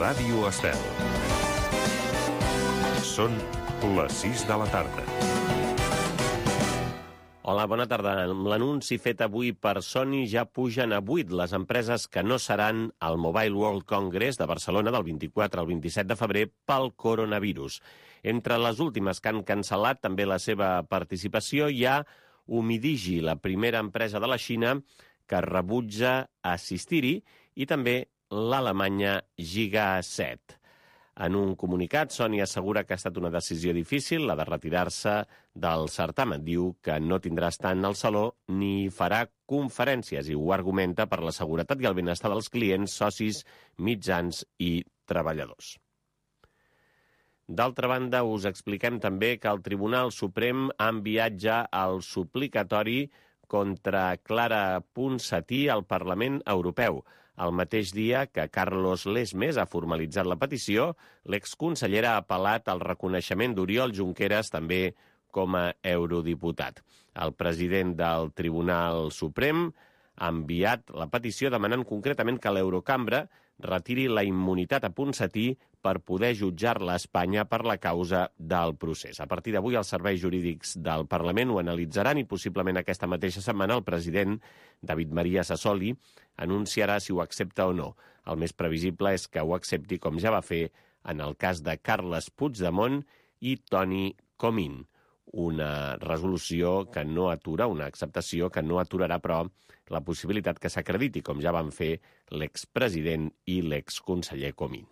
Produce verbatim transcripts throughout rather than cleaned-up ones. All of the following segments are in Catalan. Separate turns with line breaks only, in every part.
Ràdio Estel. Són les sis de la tarda.
Hola, bona tarda. Amb l'anunci fet avui per Sony ja pugen a vuit les empreses que no seran al Mobile World Congress de Barcelona del vint-i-quatre al vint-i-set de febrer pel coronavirus. Entre les últimes que han cancel·lat també la seva participació hi ha Umidigi, la primera empresa de la Xina que rebutja assistir-hi, i també l'alemanya Gigaset. En un comunicat, Sony assegura que ha estat una decisió difícil, la de retirar-se del certamen. Diu que no tindrà estant al saló ni farà conferències i ho argumenta per la seguretat i el benestar dels clients, socis, mitjans i treballadors. D'altra banda, us expliquem també que el Tribunal Suprem ha enviat ja el suplicatori contra Clara Ponsatí al Parlament Europeu. El mateix dia que Carlos Lesmes ha formalitzat la petició, l'exconsellera ha apel·lat al reconeixement d'Oriol Junqueras també com a eurodiputat. El president del Tribunal Suprem ha enviat la petició demanant concretament que l'Eurocambra retiri la immunitat a Ponsatí per poder jutjar-la a Espanya per la causa del procés. A partir d'avui, els serveis jurídics del Parlament ho analitzaran i possiblement aquesta mateixa setmana el president David María Sassoli anunciarà si ho accepta o no. El més previsible és que ho accepti, com ja va fer en el cas de Carles Puigdemont i Toni Comín. Una resolució que no atura, una acceptació que no aturarà, però, la possibilitat que s'acrediti, com ja van fer l'expresident i l'exconseller Comín.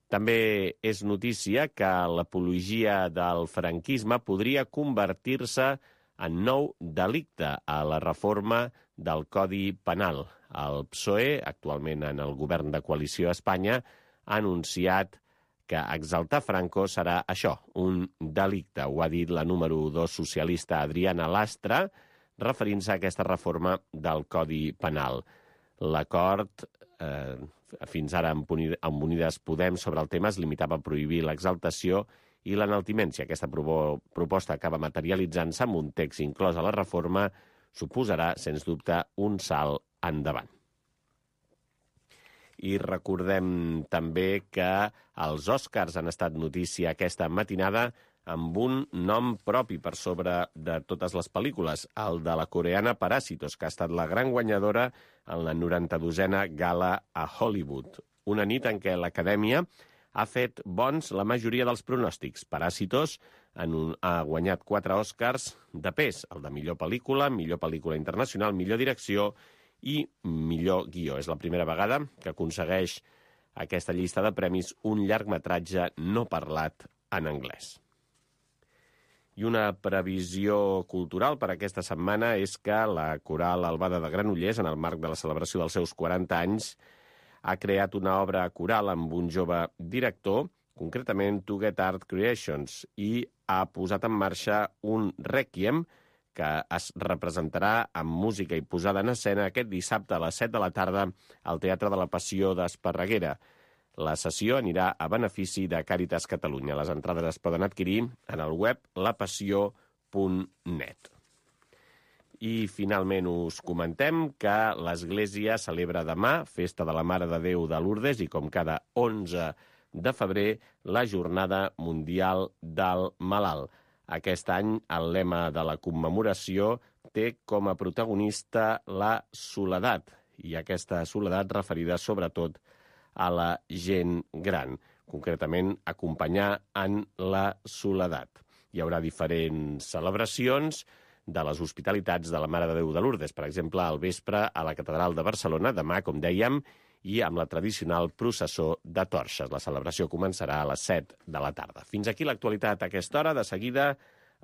També és notícia que l'apologia del franquisme podria convertir-se en nou delicte a la reforma del Codi Penal. El P S O E, actualment en el govern de coalició a Espanya, ha anunciat que exaltar Franco serà això, un delicte. Ho ha dit la número dos socialista Adriana Lastra, referint-se a aquesta reforma del Codi Penal. L'acord, eh, fins ara amb Unides Podem sobre el tema, es limitava a prohibir l'exaltació i l'enaltiment. Si aquesta proposta acaba materialitzant-se amb un text inclòs a la reforma, suposarà, sens dubte, un salt endavant. I recordem també que els Oscars han estat notícia aquesta matinada amb un nom propi per sobre de totes les pel·lícules, el de la coreana Parásitos, que ha estat la gran guanyadora en la noranta-dosena gala a Hollywood. Una nit en què l'Acadèmia ha fet bons la majoria dels pronòstics. Parásitos un, ha guanyat quatre Oscars de pes, el de millor pel·lícula, millor pel·lícula internacional, millor direcció i millor guió. És la primera vegada que aconsegueix aquesta llista de premis un llargmetratge no parlat en anglès. I una previsió cultural per aquesta setmana és que la Coral Albada de Granollers, en el marc de la celebració dels seus quaranta anys, ha creat una obra coral amb un jove director, concretament To Get Art Creations, i ha posat en marxa un rèquiem que es representarà amb música i posada en escena aquest dissabte a les set de la tarda al Teatre de la Passió d'Esparreguera. La sessió anirà a benefici de Càritas Catalunya. Les entrades es poden adquirir en el web la passió punt net. I finalment us comentem que l'Església celebra demà, Festa de la Mare de Déu de Lourdes, i com cada onze de febrer, la Jornada Mundial del Malalt. Aquest any el lema de la commemoració té com a protagonista la soledat, i aquesta soledat referida sobretot a la gent gran, concretament acompanyar en la soledat. Hi haurà diferents celebracions de les hospitalitats de la Mare de Déu de Lourdes, per exemple, al vespre a la Catedral de Barcelona, demà, com dèiem, i amb la tradicional processó de torxes. La celebració començarà a les set de la tarda. Fins aquí l'actualitat a aquesta hora. De seguida,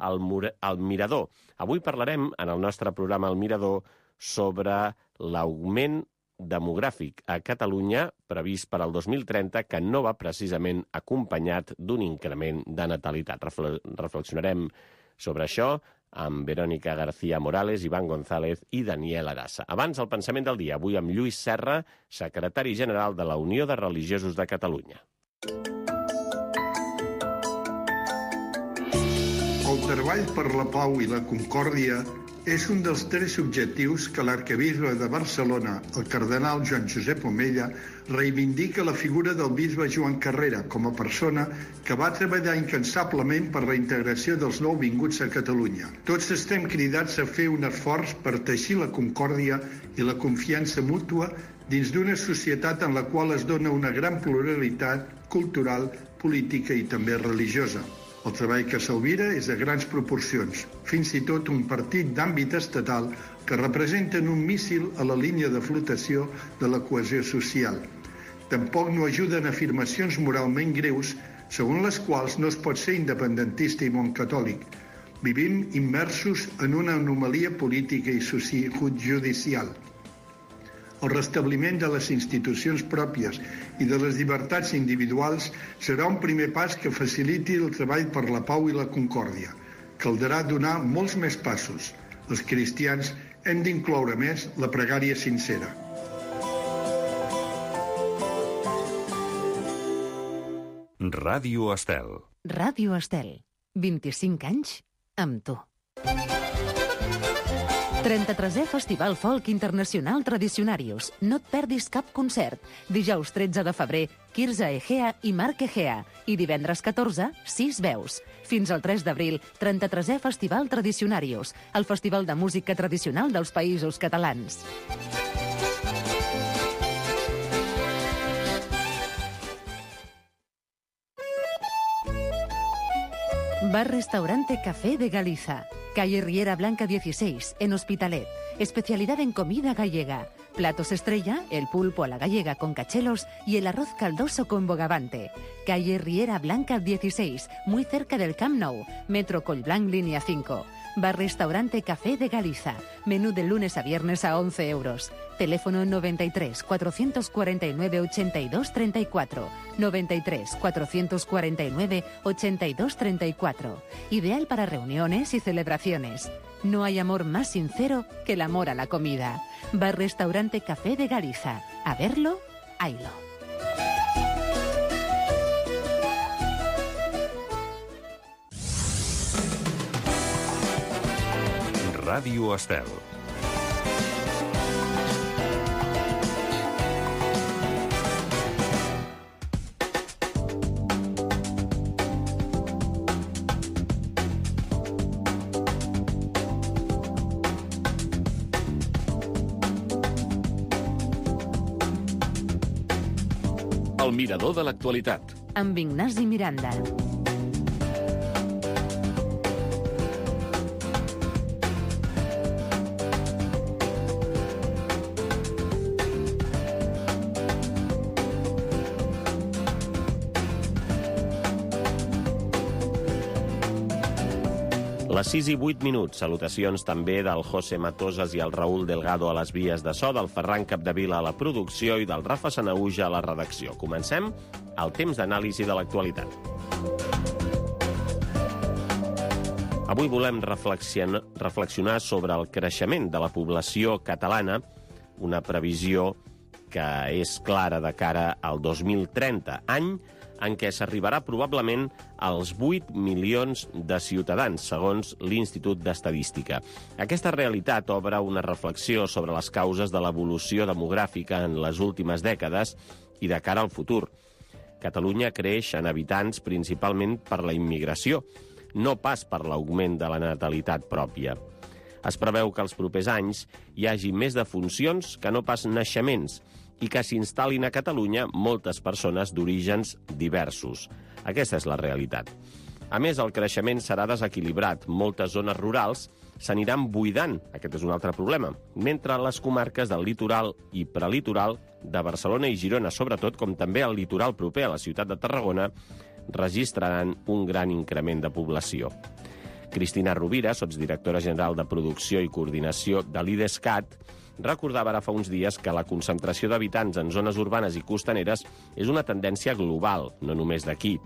el, el Mirador. Avui parlarem, en el nostre programa El Mirador, sobre l'augment demogràfic a Catalunya previst per al dos mil trenta, que no va precisament acompanyat d'un increment de natalitat. Reflexionarem sobre això amb Verònica García Morales, Iván González i Daniel Arassa. Abans, el pensament del dia, avui amb Lluís Serra, secretari general de la Unió de Religiosos de Catalunya.
El treball per la pau i la concòrdia És un dels tres objectius que l'arquebisbe de Barcelona, el cardenal Joan Josep Omella, reivindica la figura del bisbe Joan Carrera com a persona que va treballar incansablement per la integració dels nouvinguts a Catalunya. Tots estem cridats a fer un esforç per teixir la concòrdia i la confiança mútua dins d'una societat en la qual es dona una gran pluralitat cultural, política i també religiosa. El treball que s'albira és de grans proporcions, fins i tot un partit d'àmbit estatal que representen un míssil a la línia de flotació de la cohesió social. Tampoc no ajuden afirmacions moralment greus segons les quals no es pot ser independentista i bon catòlic. Vivim immersos en una anomalia política i judicial. El restabliment de les institucions pròpies i de les llibertats individuals serà un primer pas que faciliti el treball per la pau i la concòrdia. Caldrà donar molts més passos. Els cristians hem d'incloure més la pregària sincera.
Ràdio Estel.
Ràdio Estel. vint-i-cinc anys amb tu. trenta-tresè Festival Folk Internacional Tradicionarius. No et perdis cap concert. Dijous tretze de febrer, Quirze Egea i Marc Egea. I divendres catorze, sis veus. Fins al tres d'abril, trenta-tresè Festival Tradicionarius, el festival de música tradicional dels Països Catalans. Bar Restaurante Café de Galiza. Calle Riera Blanca dieciséis, en Hospitalet. Especialidad en comida gallega. Platos estrella, el pulpo a la gallega con cachelos y el arroz caldoso con bogavante. Calle Riera Blanca dieciséis, muy cerca del Camp Nou. Metro Collblanc, línea cinco. Bar Restaurante Café de Galiza. Menú de lunes a viernes a once euros. Teléfono noventa y tres, cuatrocientos cuarenta y nueve, ochenta y dos, treinta y cuatro. noventa y tres, cuatrocientos cuarenta y nueve, ochenta y dos, treinta y cuatro. Ideal para reuniones y celebraciones. No hay amor más sincero que el amor a la comida. Bar Restaurante Café de Galiza. A verlo, haylo.
Ràdio Estel.
El mirador de l'actualitat.
Amb Ignasi Miranda.
Les sis i vuit minuts. Salutacions també del José Matosas i el Raül Delgado a les vies de so, del Ferran Capdevila a la producció i del Rafa Sanauja a la redacció. Comencem el temps d'anàlisi de l'actualitat. Avui volem reflexionar sobre el creixement de la població catalana, una previsió que és clara de cara al dos mil trenta, any en què s'arribarà probablement als vuit milions de ciutadans, segons l'Institut d'Estadística. Aquesta realitat obre una reflexió sobre les causes de l'evolució demogràfica en les últimes dècades i de cara al futur. Catalunya creix en habitants principalment per la immigració, no pas per l'augment de la natalitat pròpia. Es preveu que els propers anys hi hagi més defuncions que no pas naixements, i que s'instal·lin a Catalunya moltes persones d'orígens diversos. Aquesta és la realitat. A més, el creixement serà desequilibrat. Moltes zones rurals s'aniran buidant, aquest és un altre problema, mentre les comarques del litoral i prelitoral de Barcelona i Girona, sobretot, com també el litoral proper a la ciutat de Tarragona, registraran un gran increment de població. Cristina Rovira, sotsdirectora general de Producció i Coordinació de l'IDESCAT, recordava ara fa uns dies que la concentració d'habitants en zones urbanes i costaneres és una tendència global, no només d'aquí.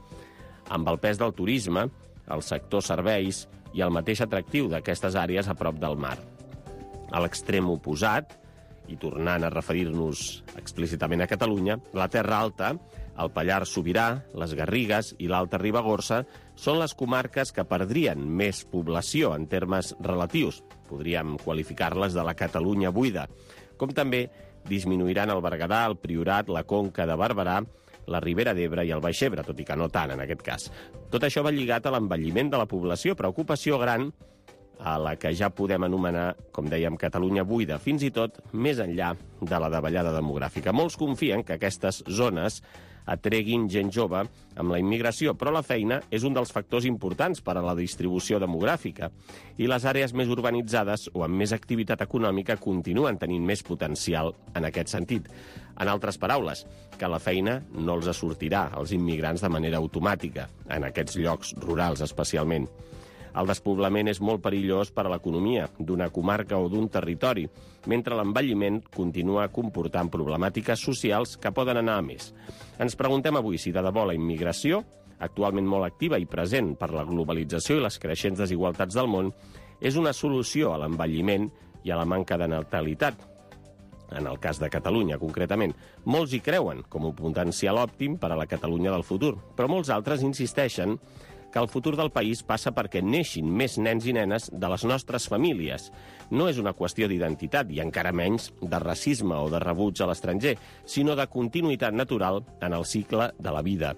Amb el pes del turisme, el sector serveis i el mateix atractiu d'aquestes àrees a prop del mar. A l'extrem oposat, i tornant a referir-nos explícitament a Catalunya, la Terra Alta, el Pallars Sobirà, les Garrigues i l'Alta Ribagorça són les comarques que perdrien més població en termes relatius. Podríem qualificar-les de la Catalunya buida. Com també disminuiran el Berguedà, el Priorat, la Conca de Barberà, la Ribera d'Ebre i el Baix Ebre, tot i que no tant en aquest cas. Tot això va lligat a l'envelliment de la població, preocupació gran a la que ja podem anomenar, com dèiem, Catalunya buida, fins i tot més enllà de la davallada demogràfica. Molts confien que aquestes zones atreguin gent jove amb la immigració, però la feina és un dels factors importants per a la distribució demogràfica i les àrees més urbanitzades o amb més activitat econòmica continuen tenint més potencial en aquest sentit. En altres paraules, que la feina no els sortirà als immigrants de manera automàtica, en aquests llocs rurals especialment. El despoblament és molt perillós per a l'economia d'una comarca o d'un territori, mentre l'envelliment continua comportant problemàtiques socials que poden anar a més. Ens preguntem avui si de debò la immigració, actualment molt activa i present per la globalització i les creixents desigualtats del món, és una solució a l'envelliment i a la manca de natalitat. En el cas de Catalunya, concretament, molts hi creuen com un potencial òptim per a la Catalunya del futur, però molts altres insisteixen que el futur del país passa perquè neixin més nens i nenes de les nostres famílies. No és una qüestió d'identitat i encara menys de racisme o de rebuig a l'estranger, sinó de continuïtat natural en el cicle de la vida.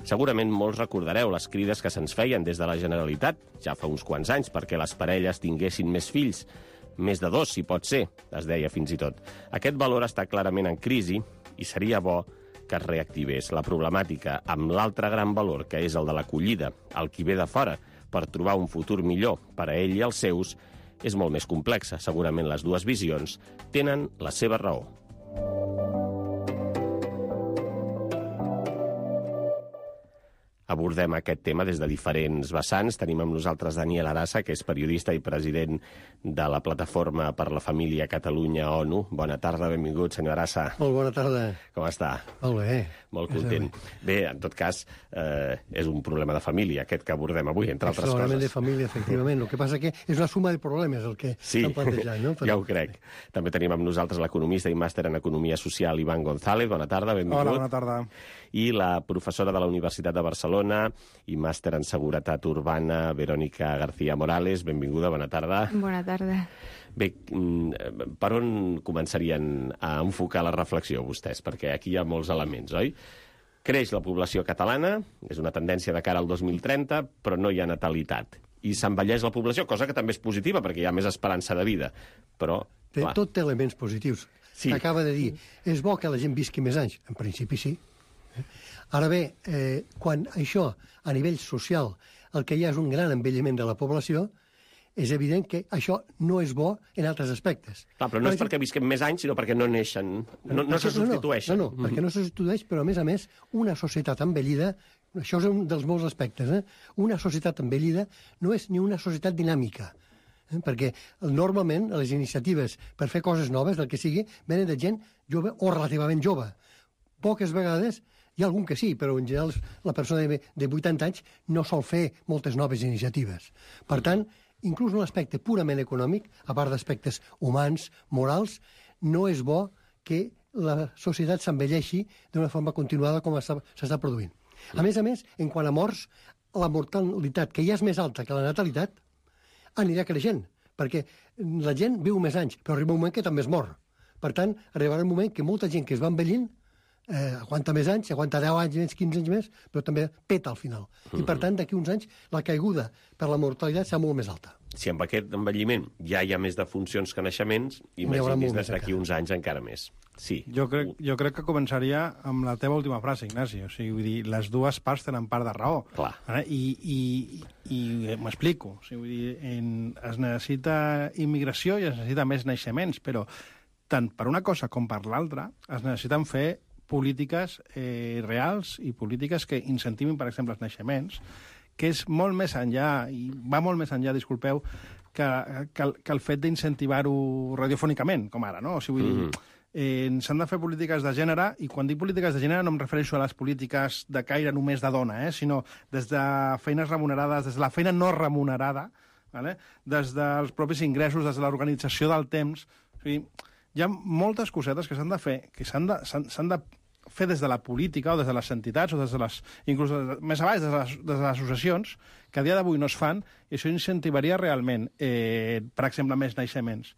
Segurament molts recordareu les crides que se'ns feien des de la Generalitat, ja fa uns quants anys, perquè les parelles tinguessin més fills. Més de dos, si pot ser, es deia fins i tot. Aquest valor està clarament en crisi i seria bo que es reactivés. La problemàtica amb l'altre gran valor, que és el de l'acollida, el qui ve de fora, per trobar un futur millor per a ell i els seus, és molt més complexa. Segurament les dues visions tenen la seva raó. Abordem aquest tema des de diferents vessants. Tenim amb nosaltres Daniel Arassa, que és periodista i president de la Plataforma per la Família Catalunya ONU. Bona tarda, benvingut, senyor Arassa.
Molt bona tarda.
Com està?
Molt bé.
Molt content. Bé, en tot cas, eh, és un problema de família, aquest que abordem avui, entre altres coses.
Extraordinàriament de família, efectivament. El que passa que és una suma de problemes el que
sí,
estan plantejant, no?
Ja ho crec. També tenim amb nosaltres l'economista i màster en Economia Social, Ivan González. Bona tarda, benvingut.
Hola, bona tarda.
I la professora de la Universitat de Barcelona i màster en Seguretat Urbana, Verònica García Morales. Benvinguda, bona tarda.
Bona tarda.
Bé, per on començarien a enfocar la reflexió vostès? Perquè aquí hi ha molts elements, oi? Creix la població catalana, és una tendència de cara al dos mil trenta, però no hi ha natalitat. I s'envelleix la població, cosa que també és positiva, perquè hi ha més esperança de vida. Però,
Té,
clar...
Tot té elements positius.
Sí.
Acaba de dir, és bo que la gent visqui més anys. En principi sí. Ara bé, eh, quan això, a nivell social, el que hi ha és un gran envelliment de la població, és evident que això no és bo en altres aspectes.
Clar, però no és perquè visquem més anys, sinó perquè no neixen, no, no se substitueixen.
No, no, no, perquè no se substitueix, però a més a més, una societat envellida, això és un dels molts aspectes, eh? Una societat envellida no és ni una societat dinàmica, eh? Perquè normalment les iniciatives per fer coses noves, del que sigui, venen de gent jove o relativament jove. Poques vegades hi ha algun que sí, però en general la persona de, de vuitanta anys no sol fer moltes noves iniciatives. Per tant, inclús en l'aspecte purament econòmic, a part d'aspectes humans, morals, no és bo que la societat s'envelleixi d'una forma continuada com s'està produint. A més a més, en quant a morts, la mortalitat, que ja és més alta que la natalitat, anirà creixent, perquè la gent viu més anys, però arriba un moment que també es mor. Per tant, arribarà un moment que molta gent que es va envellint eh, aguanta més anys, aguanta deu anys més, quinze anys més, però també peta al final. I per tant, d'aquí uns anys, la caiguda per la mortalitat serà molt més alta.
Si amb aquest envelliment ja hi ha més defuncions que naixements, imagini's des d'aquí uns anys encara més. Sí.
Jo crec, jo crec que començaria amb la teva última frase, Ignasi. O sigui, vull dir, les dues parts tenen part de raó.
Clar.
Eh? I, i, i m'explico. O sigui, vull dir, en, es necessita immigració i es necessita més naixements, però tant per una cosa com per l'altra es necessiten fer polítiques eh, reals i polítiques que incentivin, per exemple, els naixements, que és molt més enllà, i va molt més enllà, disculpeu, que, que, el, que el fet d'incentivar-ho radiofònicament, com ara, no? O sigui, vull dir, eh, s'han de fer polítiques de gènere, i quan dic polítiques de gènere no em refereixo a les polítiques de caire només de dona, eh, sinó des de feines remunerades, des de la feina no remunerada, vale? Des dels propis ingressos, des de l'organització del temps. O sigui, hi ha moltes cosetes que s'han de fer, que s'han de, s'han, s'han de fer des de la política o des de les entitats o des de les, inclús des de, més avall, des de les, des de les associacions, que a dia d'avui no es fan, i això incentivaria realment, eh, per exemple, més naixements.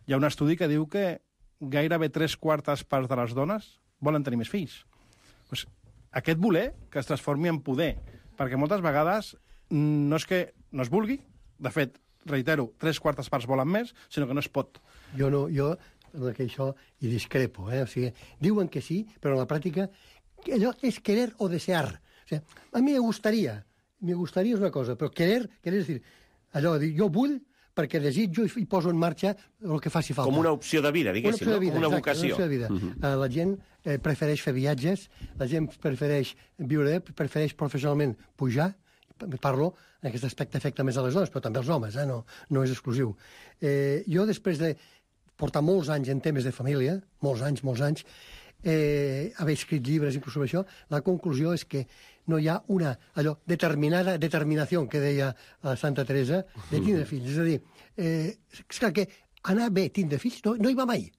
Hi ha un estudi que diu que gairebé tres quartes parts de les dones volen tenir més fills. Pues, aquest voler que es transformi en poder, perquè moltes vegades no és que no es vulgui, de fet, reitero, tres quartes parts volen més, sinó que no es pot.
Jo no, jo... que això hi discrepo, eh? O sigui, diuen que sí, però en la pràctica allò és querer o desear. O sigui, a mi me gustaría, me gustaría és una cosa, però querer, querer és dir, allò de dir, jo vull perquè desitjo i poso en marxa el que faci falta.
Com una opció de vida, diguéssim,
una, de vida,
no? Una
exacte,
vocació.
Una opció de vida. Uh -huh. La gent eh, prefereix fer viatges, la gent prefereix viure, prefereix professionalment pujar, parlo en aquest aspecte afecta més a les dones, però també als homes, eh? no, no és exclusiu. Eh, jo, després de portar molts anys en temes de família, molts anys, molts anys, eh, haver escrit llibres inclús sobre això, la conclusió és que no hi ha una allò, determinada determinació que deia a Santa Teresa de tindre fills. És a dir, eh, és clar que anar bé tindre fills no, no hi va mai.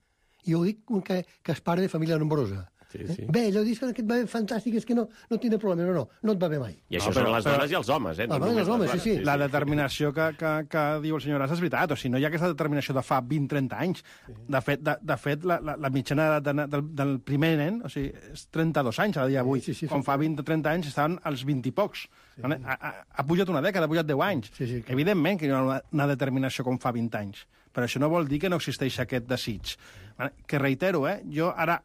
I ho dic que, que és pare de família nombrosa.
Sí, sí.
Bé, allò dius que et va bé fantàstic, és que no, no tindrà problema, no, no, no et va bé mai.
I això
no, però,
són les
però,
dones i els homes, eh?
Ah, no els homes, sí, sí.
La determinació que, que, que diu el senyor Ras és veritat, o sigui, no hi ha aquesta determinació de fa vint trenta anys. De fet, de, de fet la, la, la mitjana de, de, del, del primer nen, o sigui, és trenta-dos anys a dia d'avui. Sí, sí, sí, quan fa vint o trenta anys estaven als vint i pocs. Sí. Ha, ha, ha pujat una dècada, ha pujat deu anys. Sí, sí, que... Evidentment que hi ha una, una determinació com fa vint anys, però això no vol dir que no existeix aquest desig. Que reitero, eh, jo ara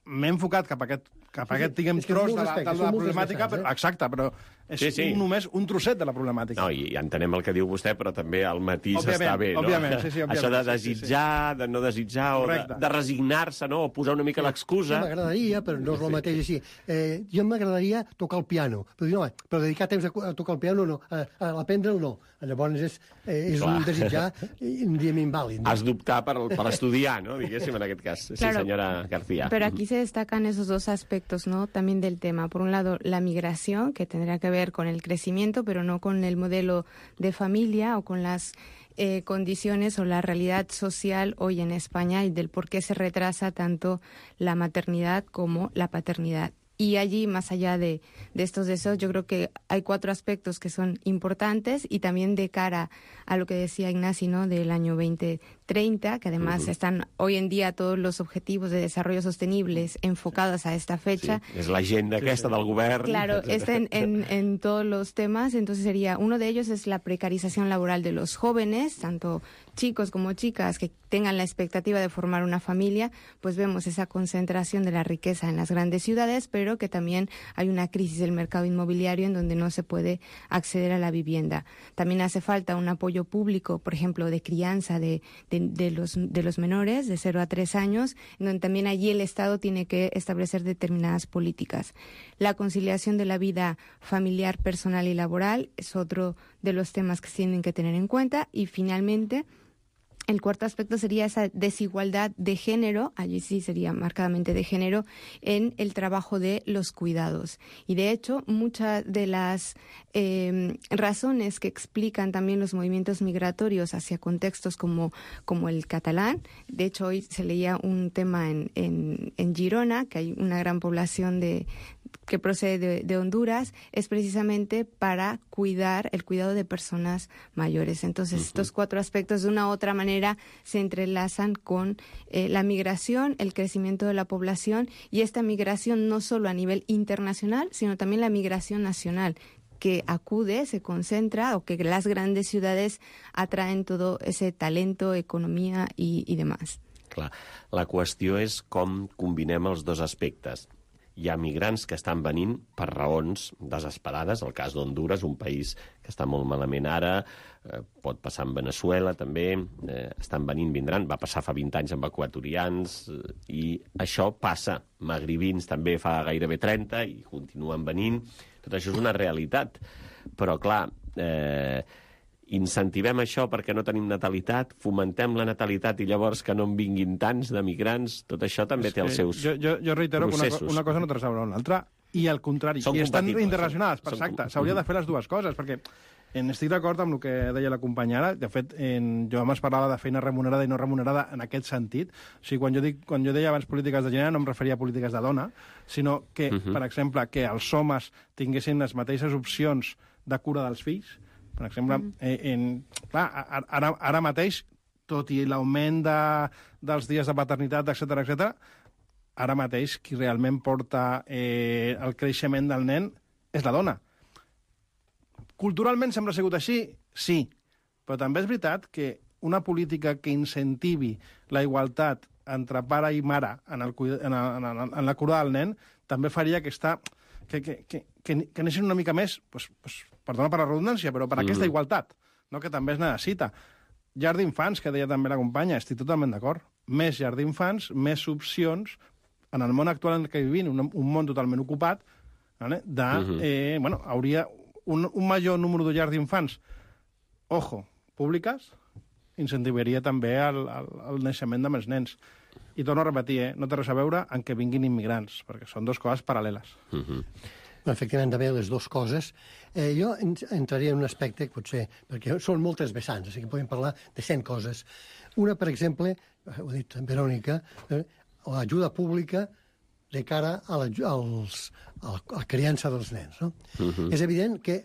m'he enfocat cap a aquest, cap a aquest diguem, tros de la, de la problemàtica, però, exacte, però és sí, sí. Un, només un trosset de la problemàtica.
No, i entenem el que diu vostè, però també el matís
òbviament,
està bé, no?
Òbviament, sí, sí, òbviament.
Això de desitjar, sí, sí. de no desitjar, Correcte. o de, de resignar-se, no? O posar una mica sí, l'excusa.
Sí, m'agradaria, però no és el mateix així. Eh, jo m'agradaria tocar el piano, però, dir, no, però dedicar temps a, a tocar el piano no, a, a aprendre'l no. Llavors és, eh, és un desitjar, un diem invàlid. No?
Has d'optar per, per estudiar, ¿no? Diguéssim, en aquest cas. Sí,
claro,
señora García.
Pero aquí se destacan esos dos aspectos, ¿no? También del tema. Por un lado, la migración, que tendrá que ver con el crecimiento, pero no con el modelo de familia o con las eh, condiciones o la realidad social hoy en España y del por qué se retrasa tanto la maternidad como la paternidad. Y allí, más allá de, de estos deseos, yo creo que hay cuatro aspectos que son importantes y también de cara a lo que decía Ignasi, ¿no? Del año veinte treinta, que además uh-huh. están hoy en día todos los objetivos de desarrollo sostenibles enfocados a esta fecha.
Sí, és l'agenda sí, aquesta sí. del govern.
Claro, está en, en, en todos los temas. Entonces sería, uno de ellos es la precarización laboral de los jóvenes, tanto chicos como chicas que tengan la expectativa de formar una familia, pues vemos esa concentración de la riqueza en las grandes ciudades, pero que también hay una crisis del mercado inmobiliario en donde no se puede acceder a la vivienda. También hace falta un apoyo público, por ejemplo, de crianza de, de, de, los, de los menores de cero a tres años, en donde también allí el Estado tiene que establecer determinadas políticas. La conciliación de la vida familiar, personal y laboral es otro de los temas que se tienen que tener en cuenta. Y finalmente, el cuarto aspecto sería esa desigualdad de género, allí sí sería marcadamente de género, en el trabajo de los cuidados. Y de hecho, muchas de las eh, razones que explican también los movimientos migratorios hacia contextos como, como el catalán, de hecho hoy se leía un tema en, en, en Girona, que hay una gran población de que procede de, de Honduras, es precisamente para cuidar, el cuidado de personas mayores. Entonces, uh-huh. estos cuatro aspectos de una u otra manera se entrelazan con eh, la migración, el crecimiento de la población y esta migración no solo a nivel internacional, sino también la migración nacional, que acude, se concentra, o que las grandes ciudades atraen todo ese talento, economia i, i demás.
Clar, la qüestió és com combinem els dos aspectes. Hi ha migrants que estan venint per raons desesperades, el cas d'Honduras, un país que està molt malament ara, eh, pot passar en Venezuela també, eh, estan venint, vindran, va passar fa vint anys amb equatorians, eh, i això passa. Magribins també fa gairebé trenta i continuen venint. Tot això és una realitat. Però, clar, eh, incentivem això perquè no tenim natalitat, fomentem la natalitat i llavors que no en vinguin tants de migrants, tot això també té els seus
jo, jo, jo reitero
processos.
que una, una cosa no té res a veure amb l'altra, i al contrari,
són
i estan
compatibles.
interrelacionades, exacte, s'hauria de fer les dues coses, perquè En estic d'acord amb el que deia la companya ara. De fet, en, jo abans parlava de feina remunerada i no remunerada en aquest sentit. O sigui, quan jo, dic, quan jo deia abans polítiques de gènere no em referia a polítiques de dona, sinó que, uh-huh. per exemple, que els homes tinguessin les mateixes opcions de cura dels fills. Per exemple, uh-huh. eh, en, clar, ara, ara mateix, tot i l'augment de, dels dies de paternitat, etcètera, etcètera, ara mateix qui realment porta eh, el creixement del nen és la dona. Culturalment sempre ha sigut així? Sí. Però també és veritat que una política que incentivi la igualtat entre pare i mare en, el, en, el, en, el, en la cura del nen també faria que, està, que, que, que, que, que anessin una mica més, pues, pues, perdona per la redundància, però per mm. aquesta igualtat, no? Que també es necessita. Llar d'infants, que deia també la companya, estic totalment d'acord. Més llar d'infants, més opcions en el món actual en què vivim, un, un món totalment ocupat, vale? de, mm-hmm. eh, bueno, hauria... Un, un major número de llars d'infants, ojo, públiques, incentivaria també el, el, el naixement de més nens. I torno a repetir, eh, no té res a veure en que vinguin immigrants, perquè són dues coses paral·leles.
Uh-huh.
Efectivament, també les dues coses. Eh, jo entraria en un aspecte, potser, perquè són moltes vessants, o sigui que podem parlar de cent coses. Una, per exemple, ho ha dit Verònica, eh, l'ajuda pública de cara a la, als, a la criança dels nens. No? Uh-huh. És evident que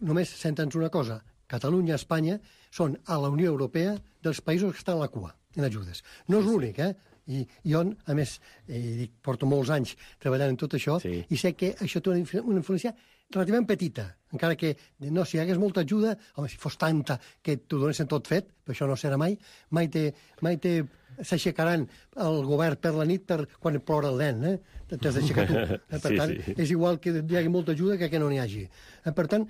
només sentens una cosa. Catalunya i Espanya són a la Unió Europea dels països que estan a la cua en ajudes. No és l'únic, eh? I jo, a més, eh, porto molts anys treballant en tot això, sí. i sé que això té una, una influència relativament petita, encara que no, si hi hagués molta ajuda, home, si fos tanta que t'ho donessin tot fet, però això no serà mai, mai té... Mai té s'aixecaran el govern per la nit per quan plora el nen, eh? T'has d'aixecar tu. Eh? Per sí, tant, sí. És igual que hi hagi molta ajuda que que no n'hi hagi. Eh? Per tant,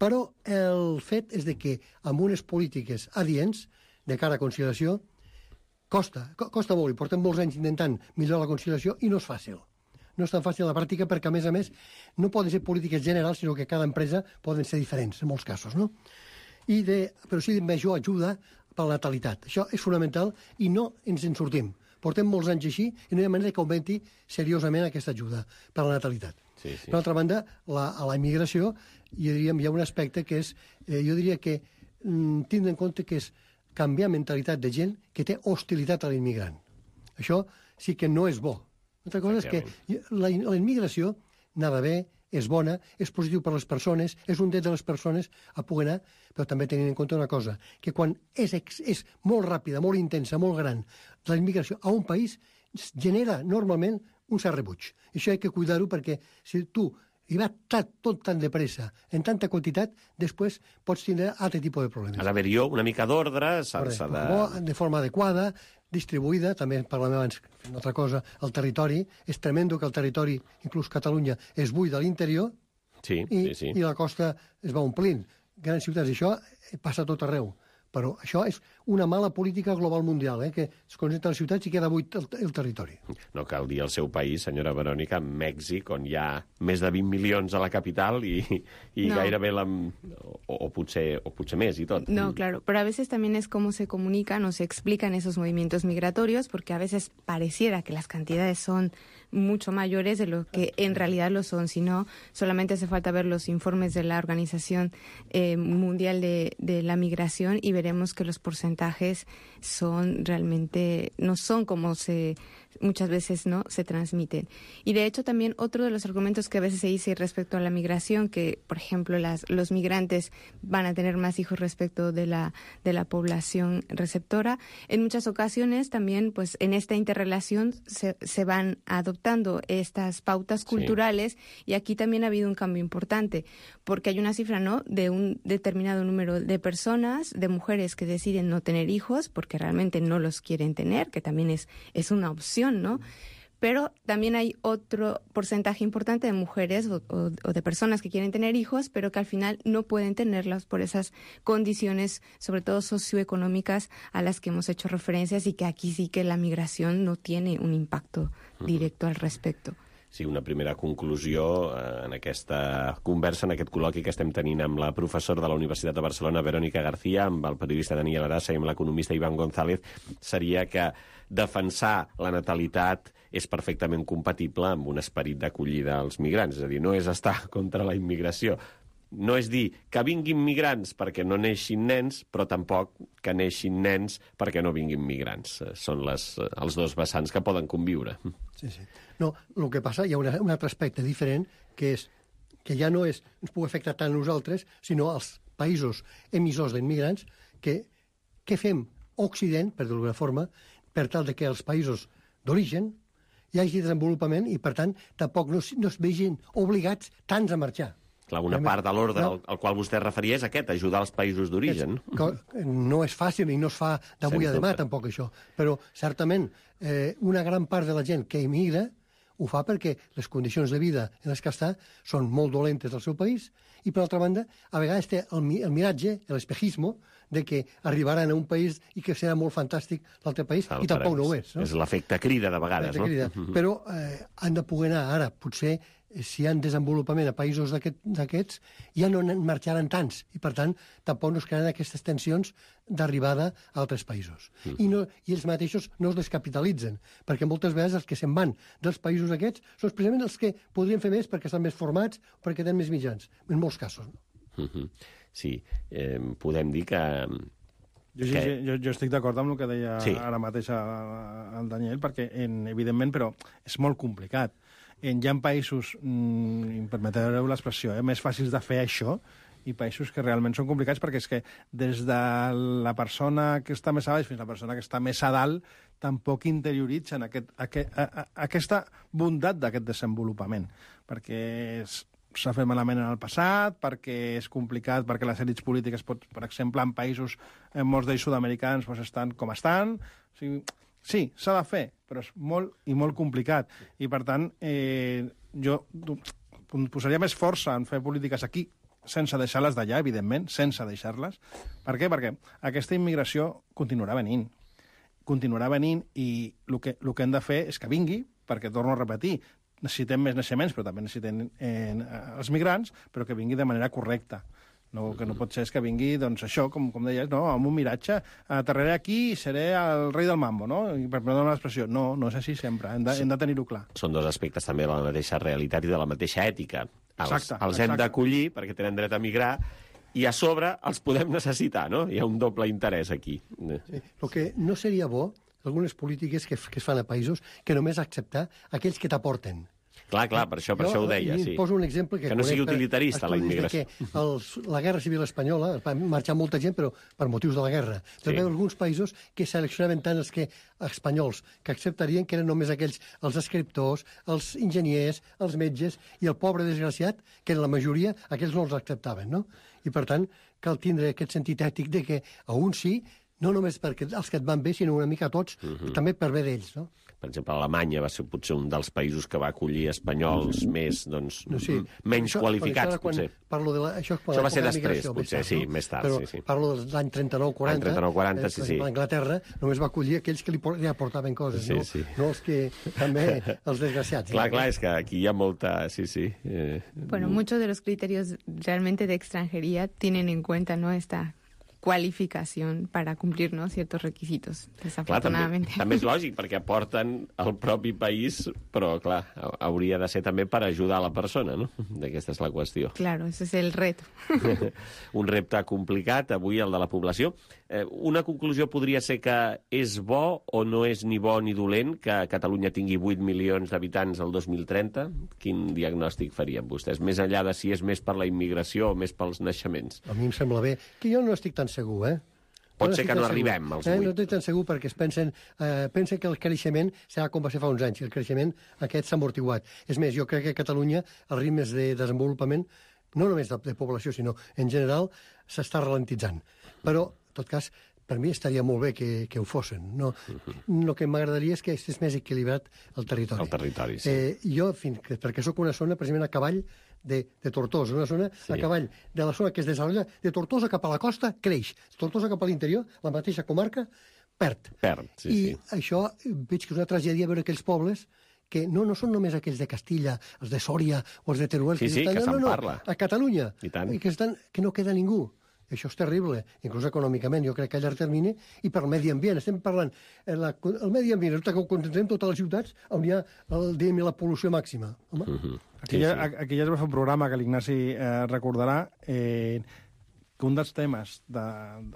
però el fet és de que amb unes polítiques adients, de cara a conciliació, costa, costa molt, i portem molts anys intentant millorar la conciliació i no és fàcil. No és tan fàcil a la pràctica perquè, a més a més, no poden ser polítiques generals, sinó que cada empresa poden ser diferents, en molts casos, no? I de, però sí de major ajuda per la natalitat. Això és fonamental i no ens en sortim. Portem molts anys així i no hi ha manera que augmenti seriosament aquesta ajuda per la natalitat.
Sí, sí.
Per altra banda, la, a la immigració jo diria, hi ha un aspecte que és, eh, jo diria que mm, tindre en compte que és canviar mentalitat de gent que té hostilitat a l'immigrant. Això sí que no és bo. Una altra cosa és que la, la immigració anava bé, és bona, és positiu per a les persones, és un dret de les persones a poder anar, però també tenint en compte una cosa, que quan és, és molt ràpida, molt intensa, molt gran, la immigració a un país genera normalment un cert rebuig. I això hi ha que cuidar-ho perquè si tu hi va tot, tot tan de pressa, en tanta quantitat, després pots tindre altre tipus de problemes.
Ha d'haver-hi una mica d'ordre, s'ha de...
De forma adequada, distribuïda, també parlem abans una altra cosa, el territori. És tremendo que el territori, inclús Catalunya, es buida a l'interior
sí,
i,
sí, sí.
i la costa es va omplint. Grans ciutats, això passa tot arreu. Però això és una mala política global mundial, eh? Que es concentra a les ciutats i queda buit el, el territori.
No cal dir el seu país, senyora Verònica, Mèxic, on hi ha més de vint milions a la capital i, i no. gairebé la... O, o, potser, o potser més y tot.
No, claro, pero a veces también es cómo se comunican o se explican esos movimientos migratorios, porque a veces pareciera que las cantidades son mucho mayores de lo que en realidad lo son, sino solamente hace falta ver los informes de la Organización eh, Mundial de, de la Migración y veremos que los porcentajes son realmente, no son como se muchas veces no se transmiten. Y de hecho también otro de los argumentos que a veces se dice respecto a la migración, que por ejemplo las, los migrantes van a tener más hijos respecto de la, de la población receptora, en muchas ocasiones también pues en esta interrelación se, se van adoptando estas pautas culturales, sí. Y aquí también ha habido un cambio importante, porque hay una cifra ¿no? de un determinado número de personas, de mujeres que deciden no tener hijos porque realmente no los quieren tener, que también es, es una opción, ¿no? Pero también hay otro porcentaje importante de mujeres o, o, o de personas que quieren tener hijos, pero que al final no pueden tenerlos por esas condiciones, sobre todo socioeconómicas, a las que hemos hecho referencias y que aquí sí que la migración no tiene un impacto directo al respecto.
Sí, una primera conclusió eh, en aquesta conversa, en aquest col·loqui que estem tenint amb la professora de la Universitat de Barcelona, Verònica García, amb el periodista Daniel Arasa i amb l'economista Iván González, seria que defensar la natalitat és perfectament compatible amb un esperit d'acollida als migrants. És a dir, no és estar contra la immigració, no és dir que vinguin migrants perquè no neixin nens, però tampoc que neixin nens perquè no vinguin migrants. Són les, els dos vessants que poden conviure.
Sí, sí. No, el que passa, hi ha una, un altre aspecte diferent, que és que ja no és, ens pugui afectar tant a nosaltres, sinó als països emissors d'immigrants, que què fem Occident, per d'alguna forma, per tal de que els països d'origen hi hagi desenvolupament i, per tant, tampoc no, no es vegin obligats tants a marxar.
Clar, una part de l'ordre no. al, al qual vostè referia és aquest, ajudar els països d'origen.
No és fàcil i no es fa d'avui a demà, tampoc, això. Però, certament, eh, una gran part de la gent que emigra ho fa perquè les condicions de vida en les que està són molt dolentes al seu país i, per altra banda, a vegades té el, el miratge, l'espejismo, de que arribaran a un país i que serà molt fantàstic l'altre país, el i tampoc no ho és. No?
És l'efecte crida, de vegades, no?
Crida. Però eh, han de poder anar ara, potser, si hi ha desenvolupament a països d'aquests, aquest, ja no en marxaran tants, i per tant tampoc no es crearan aquestes tensions d'arribada a altres països. Mm. I, no, I ells mateixos no es descapitalitzen, perquè moltes vegades els que se'n van dels països aquests són precisament els que podrien fer més perquè estan més formats o perquè tenen més mitjans, en molts casos. No?
Mm-hmm. Sí, eh, podem dir que...
Jo, sí, sí, jo, jo estic d'acord amb el que deia sí. ara mateix el Daniel, perquè, en, evidentment, però és molt complicat. En, hi ha països, mm, permeteu l'expressió, eh, més fàcils de fer això, i països que realment són complicats, perquè és que des de la persona que està més a baix fins a la persona que està més a dalt tampoc interioritzen aquest, aquest, a, a, aquesta bondat d'aquest desenvolupament, perquè és, s'ha fet malament en el passat, perquè és complicat, perquè les èlits polítiques, pot, per exemple, en països, en molts d'ells sud-americans, doncs estan com estan. O sigui, sí, s'ha de fer, però és molt i molt complicat. I, per tant, eh, jo posaria més força en fer polítiques aquí, sense deixar-les d'allà, evidentment, sense deixar-les. Per què? Perquè aquesta immigració continuarà venint. Continuarà venint i el que, el que hem de fer és que vingui, perquè, torno a repetir, necessitem més naixements, però també necessitem eh, els migrants, però que vingui de manera correcta. No, que no pot ser és que vingui, doncs, això, com, com deies, no, amb un miratge, aterraré aquí i seré el rei del mambo, no? I per perdre l'expressió. No, no és així sempre, hem de, hem de tenir-ho clar.
Són dos aspectes també de la mateixa realitat i de la mateixa ètica. Els,
exacte,
els hem d'acollir perquè tenen dret a migrar i a sobre els podem necessitar, no? Hi ha un doble interès aquí.
Sí. El que no seria bo, algunes polítiques que, que es fan a països, que només acceptar aquells que t'aporten.
Clar, clar, per això, per jo, això ho deia, sí.
Poso un exemple que...
Que no sigui utilitarista, la immigració.
Que els, la Guerra Civil Espanyola, va marxar molta gent, però per motius de la guerra. Però sí. Hi ha alguns països que seleccionaven tant els que espanyols, que acceptarien que eren només aquells, els escriptors, els enginyers, els metges, i el pobre desgraciat, que en la majoria, aquells no els acceptaven, no? I, per tant, cal tindre aquest sentit ètic de que a uns sí, no només perquè els que et van bé, sinó una mica a tots, uh-huh. també per bé d'ells, no?
Per exemple, Alemanya va ser potser un dels països que va acollir espanyols més, doncs, no, sí. menys això, qualificats, potser.
Parlo de la, això,
això va ser després, potser, sí,
no?
més tard.
Però
sí, sí.
Parlo de l'any trenta-nou quaranta.
L'any trenta-nou quaranta, sí, sí.
Anglaterra només va acollir aquells que li, li aportaven coses,
sí,
no?
Sí.
No els que també, els desgraciats.
Clar, clar, és que aquí hi ha molta... Sí, sí. Eh...
Bueno, muchos de los criterios realmente de extranjería tienen en cuenta, ¿no?, esta qualificación para cumplir, ¿no?, ciertos requisitos, desafortunadamente.
Clar, també, també és lògic, perquè aporten al propi país, però, clar, hauria de ser també per ajudar la persona, no? Aquesta és la qüestió.
Claro, ese es el reto.
Un repte complicat, avui, el de la població. Eh, una conclusió podria ser que és bo o no és ni bo ni dolent que Catalunya tingui vuit milions d'habitants el dos mil trenta? Quin diagnòstic farien vostès? Més enllà de si és més per la immigració o més pels naixements?
A mi em sembla bé. Que jo no estic tan segur, eh?
Pot
no
ser que no arribem als vuit.
Eh, no estic tan segur perquè es pensen, eh, pensen que el creixement serà com va ser fa uns anys, i el creixement aquest s'ha amortiguat. És més, jo crec que a Catalunya els ritmes de desenvolupament, no només de, de població, sinó en general, s'està ralentitzant. Però, en tot cas, per mi estaria molt bé que, que ho fossin. No, uh-huh. El que m'agradaria és que estigués més equilibrat el territori.
El territori, sí.
Eh, jo, fins que, perquè sóc una zona, precisament a cavall de, de Tortosa, una zona sí. a cavall de la zona que es desenvolupa, de Tortosa cap a la costa, creix. Tortosa cap a l'interior, la mateixa comarca, perd.
Perd, sí,
I
sí.
això veig que és una tragèdia veure aquells pobles que no, no són només aquells de Castilla, els de Sòria o els de Teruel.
Sí, sí,
estan,
que
no,
se'n
no,
parla.
A Catalunya.
I tant.
I que, estan, que no queda ningú. Això és terrible, inclús econòmicament, jo crec que a llarg termini, i per el medi ambient. Estem parlant, la, el medi ambient, resulta que ho concentrem totes les ciutats on hi ha el, diguem, la pol·lució màxima. Home.
Uh -huh.
Aquí, sí, ja, sí. aquí ja es va fer un programa que l'Ignasi eh, recordarà, eh, que un dels temes, de,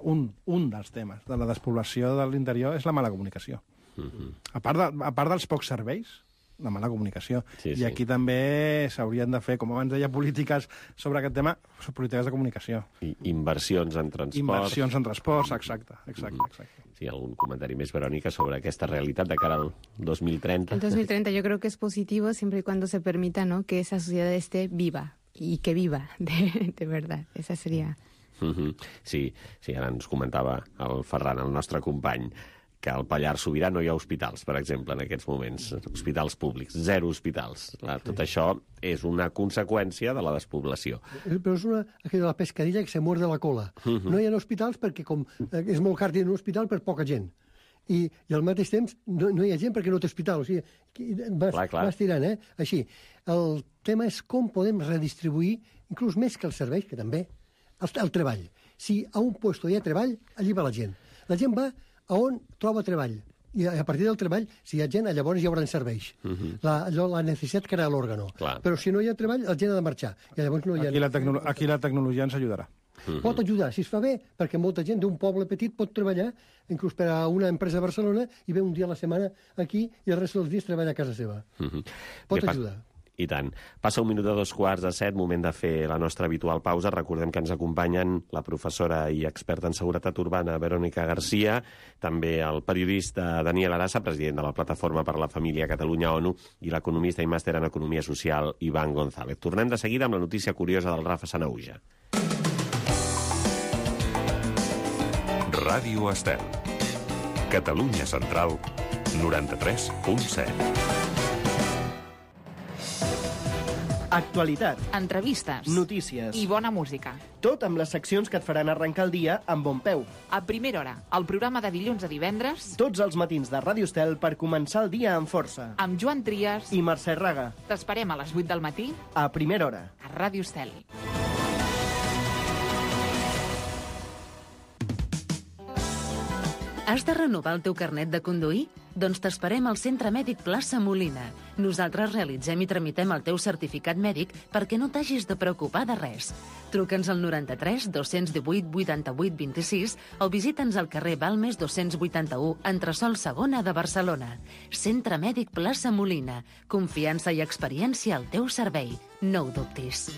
un, un dels temes de la despoblació de l'interior és la mala comunicació. Uh -huh. a, part de, a part dels pocs serveis, la mala comunicació. Sí, I sí. aquí també s'haurien de fer, com abans deia, polítiques sobre aquest tema, polítiques de comunicació.
I inversions en transport.
Inversions en transports, exacte. exacte, exacte.
Sí, algun comentari més, Verònica, sobre aquesta realitat de cara al dos mil trenta?
El dos mil treinta yo creo que es positivo siempre y cuando se permita, ¿no?, que esa sociedad esté viva y que viva de, de verdad. Esa sería...
Uh-huh. Sí, sí, ara ens comentava el Ferran, el nostre company, que al Pallars Sobirà no hi ha hospitals, per exemple, en aquests moments. Hospitals públics, zero hospitals. Clar, tot això és una conseqüència de la despoblació.
Però és una, aquella de la pescadilla que se muerde la cola. Uh-huh. No hi ha hospitals perquè com és molt car tenir un hospital per poca gent. I, i al mateix temps no, no hi ha gent perquè no té hospital. O sigui, vas, clar, clar. vas tirant, eh? Així. El tema és com podem redistribuir, inclús més que els serveis, que també, el, el treball. Si a un lloc hi ha treball, allí va la gent. La gent va a on troba treball. I a partir del treball, si hi ha gent, llavors hi haurà serveis. Uh-huh. la, la necessitat crea l'òrgano. Però si no hi ha treball, la gent ha de marxar. I llavors no hi ha...
Aquí la, tecno aquí la tecnologia ens ajudarà.
Uh-huh. Pot ajudar, si es fa bé, perquè molta gent d'un poble petit pot treballar, inclús per a una empresa a Barcelona, i ve un dia a la setmana aquí i el rest dels dies treballa a casa seva. Uh-huh. Pot bé, ajudar.
I tant. Passa un minut de dos quarts de set, moment de fer la nostra habitual pausa. Recordem que ens acompanyen la professora i experta en seguretat urbana Verònica Garcia, també el periodista Daniel Arassa, president de la Plataforma per la Família Catalunya-ONU, i l'economista i màster en Economia Social Iván González. Tornem de seguida amb la notícia curiosa del Rafa Sanahuja.
Ràdio Estel. Catalunya Central, noranta-tres punt set.
Actualitat,
entrevistes,
notícies
i bona música.
Tot amb les seccions que et faran arrencar el dia amb bon peu.
A primera hora, el programa de dilluns a divendres.
Tots els matins de Ràdio Estel per començar el dia amb força.
Amb Joan Trias
i Mercè Raga.
T'esperem a les vuit del matí.
A primera hora.
A Ràdio Estel.
Has de renovar el teu carnet de conduir? Doncs t'esperem al Centre Mèdic Plaça Molina. Nosaltres realitzem i tramitem el teu certificat mèdic perquè no t'hagis de preocupar de res. Truca'ns al noranta-tres dos-cents divuit vuitanta-vuit vint-i-sis o visita'ns al carrer Balmes dos-cents vuitanta-u, entresòl segona de Barcelona. Centre Mèdic Plaça Molina. Confiança i experiència al teu servei. No ho dubtis.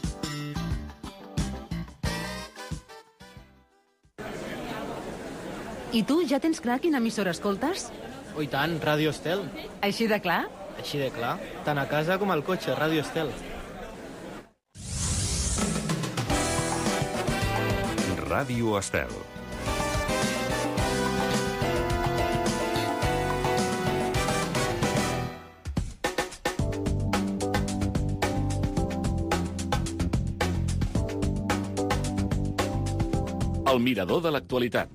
I tu, ja tens clar quina emissora escoltes?
Oh, i tant, Ràdio Estel.
Així de clar?
Així de clar. Tant a casa com al cotxe, Ràdio Estel.
Ràdio Estel. El mirador de l'actualitat.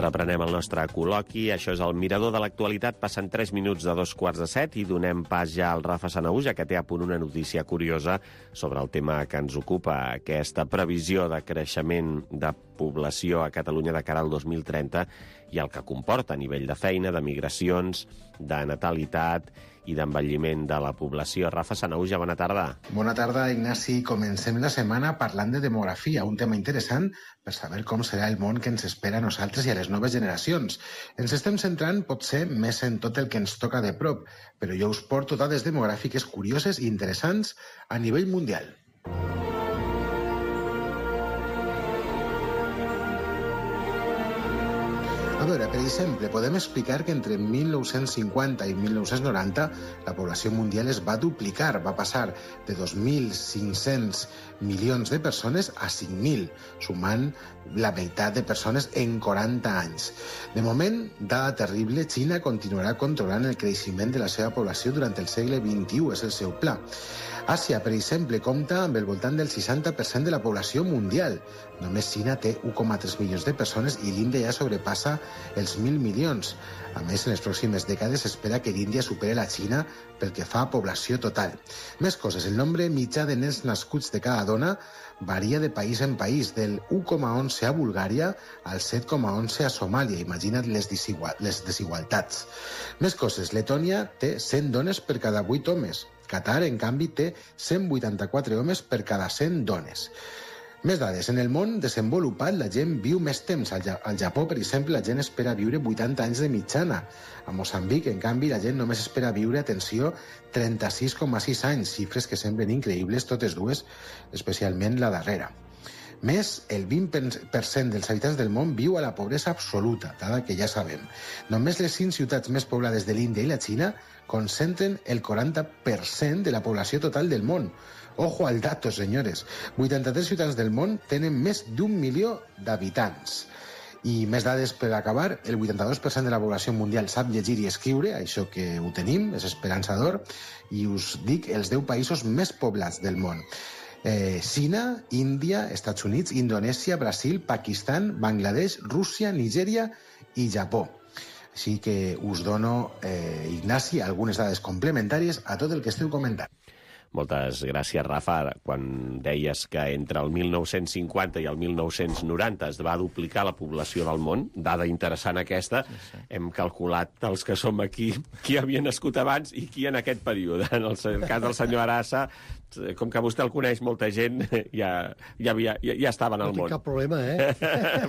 Reprenem el nostre col·loqui. Això és el Mirador de l'Actualitat. Passen tres minuts de dos quarts de set i donem pas ja al Rafa Sanahuja, que té a punt una notícia curiosa sobre el tema que ens ocupa, aquesta previsió de creixement de població a Catalunya de cara al dos mil trenta i el que comporta a nivell de feina, de migracions, de natalitat i d'envelliment de la població. Rafa Sanahuja, bona tarda.
Bona tarda, Ignasi. Comencem la setmana parlant de demografia, un tema interessant per saber com serà el món que ens espera a nosaltres i a les noves generacions. Ens estem centrant, potser, més en tot el que ens toca de prop, però jo us porto dades demogràfiques curioses i interessants a nivell mundial. A veure, per exemple, podem explicar que entre mil nou-cents cinquanta i mil nou-cents noranta la població mundial es va duplicar, va passar de dos mil cinc-cents milions de persones a cinc mil, sumant la meitat de persones en quaranta anys. De moment, dada terrible, Xina continuarà controlant el creixement de la seva població durant el segle vint-i-u, és el seu pla. Àsia, per exemple, compta amb el voltant del seixanta per cent de la població mundial. Només Xina té u coma tres milions de persones i l'Índia ja sobrepassa els mil milions. A més, en les pròximes dècades s'espera que l'Índia superi la Xina pel que fa a població total. Més coses, el nombre mitjà de nens nascuts de cada dona varia de país en país, del u coma onze a Bulgària al set coma onze a Somàlia. Imagina't les, les desigualtats. Més coses, Letònia té cent dones per cada vuit homes. Qatar, en canvi, té cent vuitanta-quatre homes per cada cent dones. Més dades. En el món desenvolupat, la gent viu més temps. Al, ja al Japó, per exemple, la gent espera viure vuitanta anys de mitjana. A Moçambic, en canvi, la gent només espera viure, atenció, trenta-sis coma sis anys, xifres que semblen increïbles, totes dues, especialment la darrera. Més, el vint per cent dels habitants del món viu a la pobresa absoluta, dada que ja sabem. Només les cinc ciutats més poblades de l'Índia i la Xina concentren el quaranta per cent de la població total del món. Ojo al dato, senyores. vuitanta-tres ciutats del món tenen més d'un milió d'habitants. I més dades per acabar, el vuitanta-dos per cent de la població mundial sap llegir i escriure, això que ho tenim, és esperançador, i us dic els deu països més poblats del món. Eh, Xina, Índia, Estats Units, Indonèsia, Brasil, Pakistan, Bangladesh, Rússia, Nigèria i Japó. Així que us dono, eh, Ignasi, algunes dades complementàries a tot el que esteu comentant.
Moltes gràcies, Rafa. Quan deies que entre el mil nou-cents cinquanta i el mil nou-cents noranta es va duplicar la població del món, dada interessant aquesta, sí, sí. Hem calculat els que som aquí, qui havia nascut abans i qui en aquest període. En el cas del senyor Arassa, com que vostè el coneix molta gent, ja, ja, havia, ja, ja estaven al món.
No tinc cap problema, eh?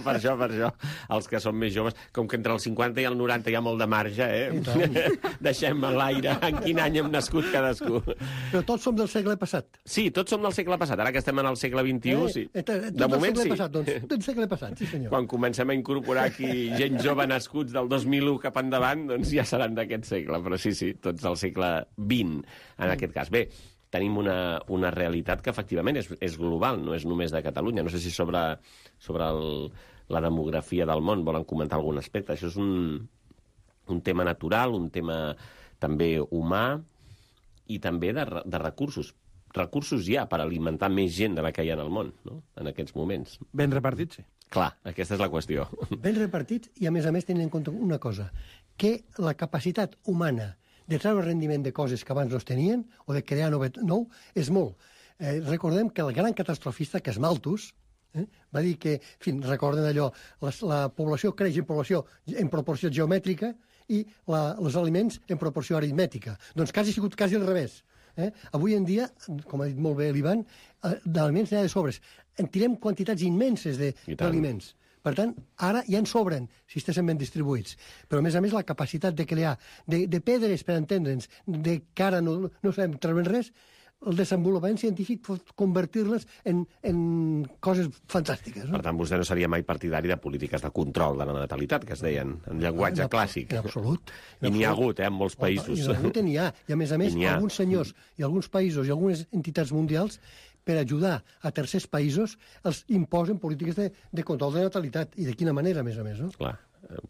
per això, per això. Els que són més joves, com que entre el cinquanta i el noranta hi ha molt de marge, eh? Deixem a l'aire en quin any hem nascut cadascú.
Però tots som del segle passat.
Sí, tots som del segle passat. Ara que estem en el segle vint-i-u, sí.
Eh, eh,
de moment, sí.
Passat, doncs, del segle passat, sí, senyor.
Quan comencem a incorporar aquí gent jove nascuts del dos mil u cap endavant, doncs ja seran d'aquest segle. Però sí, sí, tots del segle vint, en mm. aquest cas. Bé, tenim una, una realitat que efectivament és, és global, no és només de Catalunya. No sé si sobre, sobre el, la demografia del món volen comentar algun aspecte. Això és un, un tema natural, un tema també humà i també de, de recursos. Recursos hi ha per alimentar més gent de la que hi ha en el món, no? En aquests moments.
Ben repartits, sí.
Clar, aquesta és la qüestió.
Ben repartits i, a més a més, tenint en compte una cosa, que la capacitat humana de treure rendiment de coses que abans no es tenien o de crear nou és molt. Eh, recordem que el gran catastrofista, que és Malthus, eh, va dir que, en fi, recorden allò, la, la població creix en població en proporció geomètrica i la, els aliments en proporció aritmètica. Doncs quasi ha sigut quasi al revés. Eh? Avui en dia, com ha dit molt bé l'Ivan, eh, d'aliments n'hi ha de sobres. En tirem quantitats immenses d'aliments. Per tant, ara ja en sobren, si estessin ben distribuïts. Però, a més a més, la capacitat de crear, de, de pedres, per entendre'ns, de que ara no, no sabem treure res, el desenvolupament científic pot convertir-les en, en coses fantàstiques. No?
Per tant, vostè no seria mai partidari de polítiques de control de la natalitat, que es deien, en llenguatge
en
clàssic.
En absolut.
I n'hi ha hagut, eh, en molts països.
I n'hi ha hagut, i n'hi ha. I, a més a més, alguns senyors i alguns països i algunes entitats mundials, per ajudar a tercers països, els imposen polítiques de, de control de natalitat. I de quina manera, a més a més, no?
Clar.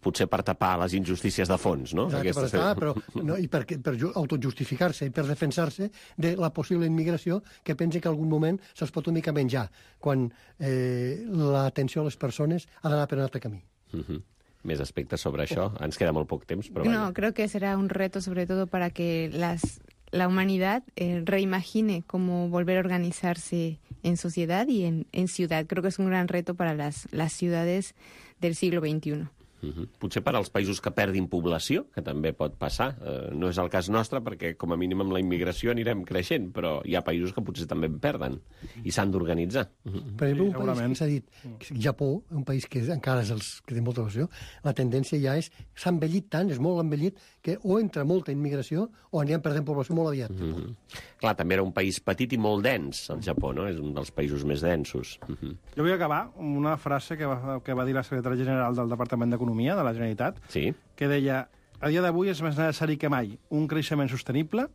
Potser per tapar les injustícies de fons, no?
Exacte, per tapar, però no, i per, per autojustificar-se i per defensar-se de la possible immigració que pensa que en algun moment se'ls pot una mica menjar, quan eh, l'atenció a les persones ha d'anar per un altre camí.
Uh-huh. Més aspectes sobre això? Ens queda molt poc temps, però...
No, creo que será un reto sobre todo para que las, la humanidad eh, reimagine cómo volver a organizarse en sociedad y en, en ciudad. Creo que es un gran reto para las, las ciudades del siglo veintiuno.
Uh-huh. Potser per als països que perdin població, que també pot passar. Uh, no és el cas nostre, perquè com a mínim amb la immigració anirem creixent, però hi ha països que potser també en perden i s'han d'organitzar. Uh-huh.
Per exemple, un país que s'ha dit, Japó, un país que encara és els que té molta població, la tendència ja és, s'ha envellit tant, és molt envellit, que o entra molta immigració o anirem perdent població molt aviat.
Uh-huh. Clar, també era un país petit i molt dens, el Japó, no? És un dels països més densos. Uh-huh.
Jo vull acabar amb una frase que va, que va dir la secretària general del Departament d'Economia de la Generalitat,
sí,
que deia: a dia d'avui és més necessari que mai un creixement sostenible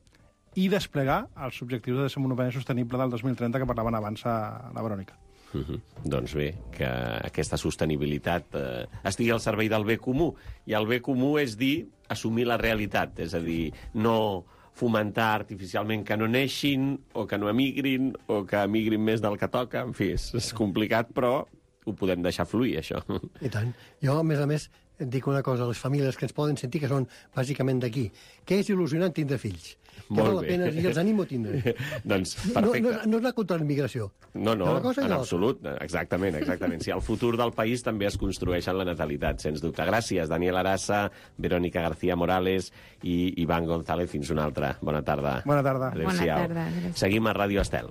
i desplegar els objectius de desenvolupament sostenible del dos mil trenta que parlaven abans a la Verònica.
Uh-huh. Doncs bé, que aquesta sostenibilitat eh, estigui al servei del bé comú. I el bé comú és dir assumir la realitat, és a dir, no fomentar artificialment que no neixin, o que no emigrin, o que emigrin més del que toca. En fi, és, és complicat, però ho podem deixar fluir, això.
I tant. Jo, a més a més, et dic una cosa, a les famílies que ens poden sentir, que són bàsicament d'aquí, que és il·lusionant tindre fills. Que
Molt
val la
bé.
pena i els animo a tindre.
Doncs,
No,
perfecte.
no, no és anar contra la immigració.
No, no,
Una cosa i
en
l'altra.
absolut. Exactament, exactament. Si el futur del país també es construeix en la natalitat, sens dubte. Gràcies, Daniel Arassa, Verónica García Morales i Ivan González. Fins una altra. Bona tarda.
Bona tarda.
Adéu-siau.
Bona tarda, gràcies.
Seguim a Ràdio Estel.